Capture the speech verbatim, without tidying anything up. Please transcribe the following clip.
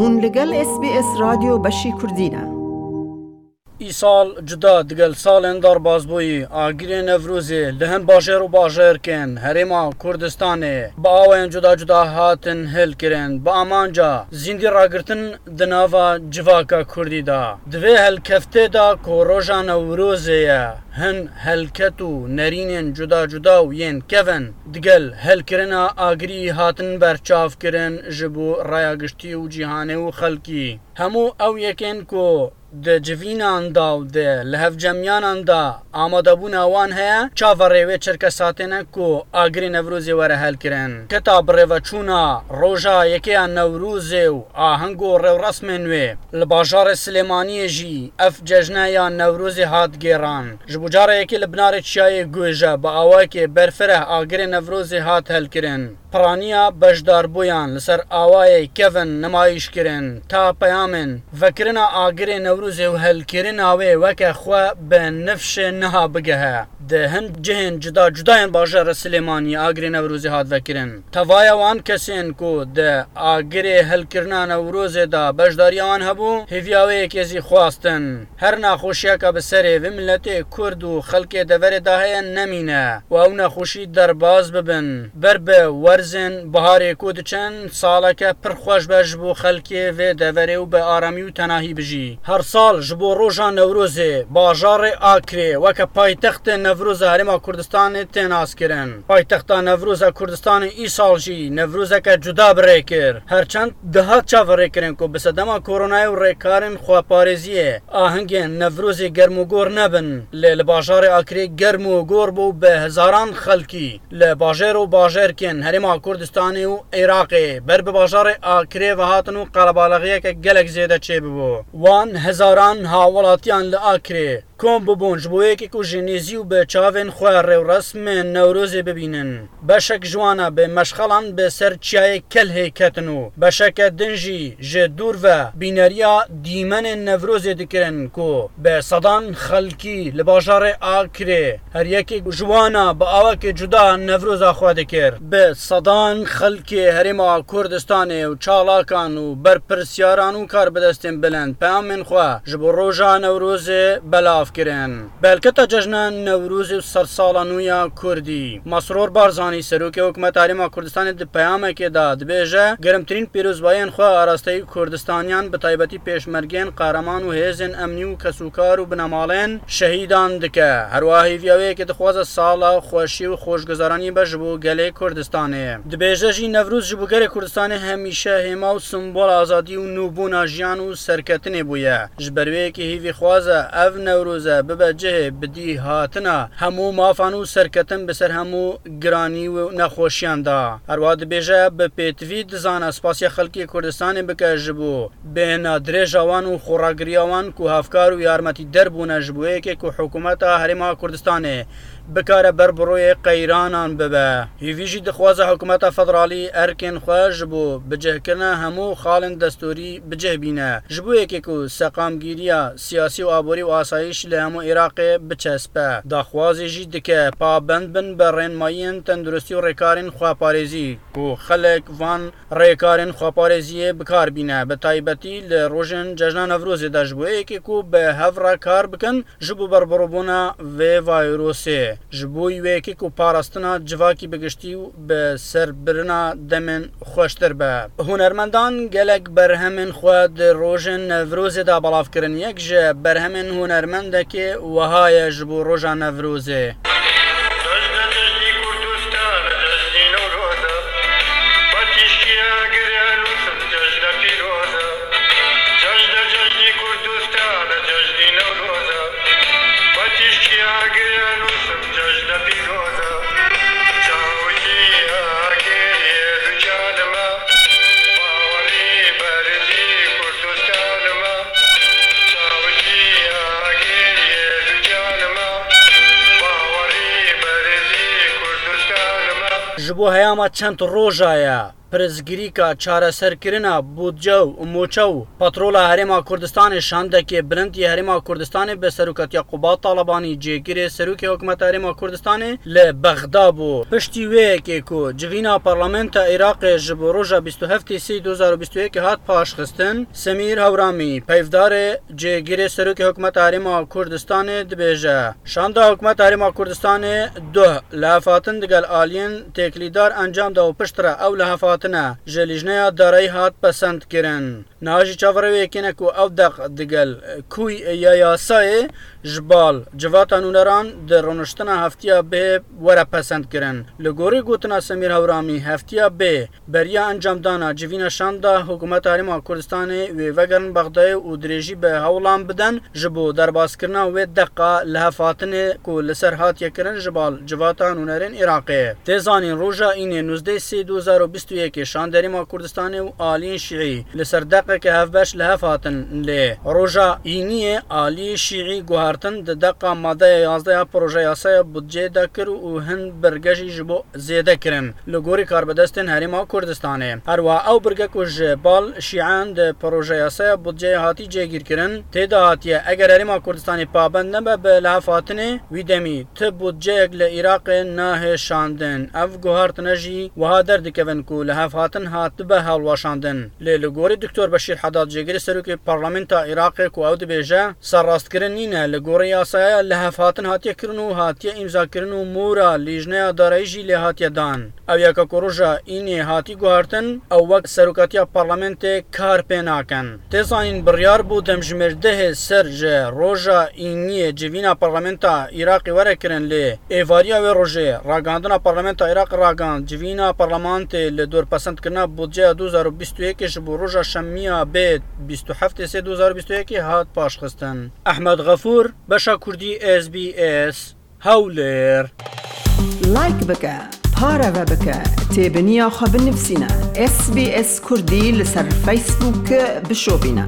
Hûn li gel S B S Radyo Beşî Kurdî ne. Îsal cuda digel salên derbazbûyî, agirê Newrozê li hin bajêr û bajarkên Herêma Kurdistanê bi awayên cuda cuda hatin hilkirin, bi amanca zîndî ragirtin di nava civaka Kurdî de. Di vê helkeftê de ku roja Newrozê ye, hin helket û nerînên cuda cuda û yên kevin digel helkirina agirî hatin berçavkirin ji bo raya giştî û cîhanê û xelkî. Hemû ew yekên ku di civînan de û di lihevcemiyanan de amadebûna wan heye, çaverê wê çerkesatê ne ku agirê Newrozê were helkirin. Keta birêveçûna roja yekê ya Newrozê û aheng û rêwresmên wê li bajarê Silêmaniyê jî ev cejne ya Newrozê hat gêran. Ji bo cara yekê li binarê çiyayê Guêje bi awayekê berfireh agirê Newrozê hat helkirin. Piraniya beşdarbûyan li ser awayê kevin nimayîş kirin, ta peyamên vekirina agirê Newrozê û helkirina wê weke xwe bi nifşê niha bigehe. Di hin cihên cuda cuda yên bajarê Silêmaniyê agirê Newrozê hat vekirin. Tevaya wan kesên ku di agirê helkirina Newrozê de beşdariya wan hebû, hêviya wê yekê zî xwestin. Her naxweşiyeke bi serê vê miletê Kurd û xelkê deverê de heye nemîne û ew nexweşî derbas bibin. Ber bi werzên biharê ku diçin, saleke pir xweş be ji bo xelkê vê deverê û bi aramî û tenahî bijî. Her sal ji bo roja Newrozê, bajarê Akrê weke paytextê Newroza Herêma Kurdistanê tê naskirin. Paytexta Newroza Kurdistanê îsal jî Newrozeke cuda bi rê kir. Her çend dihat çaverêkirin ku bi sedema koronayê û rêkarên xweparêziyê ahengên Newrozê germûgor nebin, lê li bajarê Akrê germûgor bû, bi hezaran xelkî li bajêr û bajarkên Herêma Kurdistanê û Iraqê ber bi bajarê Akrê ve hatin û qelebalixiyeke gelek zêde çêbibû. Wan hezaran hawelatiyan li Akrê kom bibûn ji bo yekê ku ji nêzî û bi çavên xwe rêwresmên Newrozê bibînin. Beşek ji wana bi meşxelan bi ser çiyayê Kelhê ketin û beşeke din jî ji dûr ve bîneriya dîmenên Newrozê dikirin ku bi sedan xelkî li bajarê Akrê her yekê ji wana bi awakê cuda Newroza xwe dikir. Bi sedan xelkê Herêma Kurdistanê û çalakan û berpirsyaran û karbidestên bilind peyamên xwe ji bo roja Newrozê belav kirin. Belketa cejna Newrozê û sedsala nû ya Kurdî. Mesrûr Barzanî, serokê Hikûmeta Herêma Kurdistanê di peyamekê de dibêje, germtirîn pîrozbayiyên xwe arasteyî Kurdistaniyan, bi taybetî pêşmergeyên qehreman û hêzên emnî û kesûkar û binemalên şehîdan dike. Her wiha hêviya wê yekê dixwaze sala xweşî û xweşguzaranî be ji bo gelê Kurdistanê. Dibêje jî Newroz ji bo gelê Kurdistanê hemîşe hêma û simbol azadî û nûbûna jiyan û serketinê bûye. Ji ber wê yekê hêvî xwaze ev Newroze bibe cihê bidî hatina hemû mafan û serketin bi ser hemû giranî û nexweşiyan de. Her wiha dibêje bi pêtivî dizane spasiya xelkê Kurdistanê bike ji bo bêhna dirêja wan û xweragiriya wan ku hevkar û yarmetîder bûne ji bo yekê ku hikûmeta Herêma Kurdistanê bikare ber bi rûyê qeyranan bibe. Hêvî jî dixwaze hikûmeta federalî erkên xwe ji bo bicihkirina hemû xalên destûrî bi cih bîne. Ji bo yekê ku seqamgîriya siyasî û aborî û asayîş li hemû Iraqê biçespe. Daxwazê jî dike pabend bin bi rênmayiyên tenduristî û rêkarên xweparêzî ku xelek van rêkarên xweparêziyê bi kar bîne, bi taybetî li rojên cejna Newrozê de ji bo yekê ku bi hev re kar bikin, ji bo berbirovbûna vê vayrosê, ji bo wê yekê ku parastina civakî bi giştî û bi serbirina demên xweştir be. Hunermendan gelek berhemên xwe di rojên Newrozê de belav kirin. Yek ji berhemên hunermendekê wiha ye ji bo roja Newrozê. Cejne cejnî Kurdistan, cejnî Newroz e. Betîştiye girê nûsim cejne pîroz e. Cejne cejnî Kurdistan, cejnî Newroz e. Betîştiye girê nûsim cejne pîroz e. Çawkî agirê du canime. Bawerî berzî Kurdistanime. Çawkî agirê du canime. Bawerî berzî Kurdistanime. Ji bo heyama çend roja ye, Pirsgirêka çareserkirina budce û moçe û petrola Herêma Kurdistanê şandekê bilind yê Herêma Kurdistanê bi serokatiya Qubat Talebanî, cêgirê serokê hikûmeta Herêma Kurdistanê, li Bexda bû. Piştî wê yekê ku civîna Parlamenta Iraqê ji bo roja bîst û heftê sê du hezar û bîst û yekê hat paşxistin, Semîr Hewramî, peyvdarê cêgirê serokê hikûmeta Herêma Kurdistanê, dibêje, şanda hikûmeta Herêma Kurdistanê duh lihevhatin digel aliyên têkilîdar encam da û piştre ew lihevhatine ji Lîjneya Darayî hat pesendkirin. Niha jî çaverê wê yekê ne ku ew deq digel kûy ya yasayê ji bal civata nûneran di rûniştina heftiya bê were pesendkirin. Li gorî gotina Semîr Hewramî, heftiya bê beriya encamdana civîna şanda hikûmeta Herêma Kurdistanê wê vegerin Bexdayê û dirêjî bi hewlan bidin ji bo derbaskirina wê deqa lihevhatinê ku li ser hatiye kirin ji bal civata nûnerên Iraqê. Tê zanîn, roja Înê nûzdeh sê du hezar û bîst û yekê şandê Herêma Kurdistanê û aliyên Şîî li ser deqeke hevbeş li hev hatin, lê roja Îniyê aliyê Şîî guhertin di deqa madeya yazdeh ya proje yasaya budceyê de kir û hin birge jî ji bo zêde kirin li gorî karbidestên Herêma Kurdistanê. Herwiha ew birge ku ji bal Şîan di proje yasaya budceyê hatî cêgîrkirin, tê de hatiye, eger Herêma Kurdistanê pabend nebe bi lihevhatinê, wî demî ti budceyek li Iraqê nahê şandin. Ev guhartine jî wiha derdikevin ku lihevhatin hatibe hilweşandin. Lê li gorî Doktor Beşîr Hedad, cêgirê serokê Parlamenta Iraqê, ku ew dibêje, serrastkirin nîne, li gorî yasaya lihevhatin hatiye kirin û hatiye îmzakirin û mora Lîjneya Darayî jî lê hatiye dan. Ew yeka ku roja Înê hatî guhartin, ew wek serokatiya Parlamentê kar pê nakin. Tê zanîn, biryar bû demjimêr dehê ser ji roja Îniyê civîna Parlamenta Iraqê were kirin, lê êvariya wê rojê ragihandina Parlamenta Iraqê ragihand, civîna Parlamentê li dor pesendkirina budceya du hezar û bîst û yekê ji bo roja şemiya bê bîst û heftê sê du hezar û bîst û yekê hat paşxistin. Ehmed Xefûr, Beşa Kurdî, S B S, Hewlêr. Like bike, pareve bike, têbiniya xwe binivîsîne. S B S Kurdî li ser Facebook bişopîne.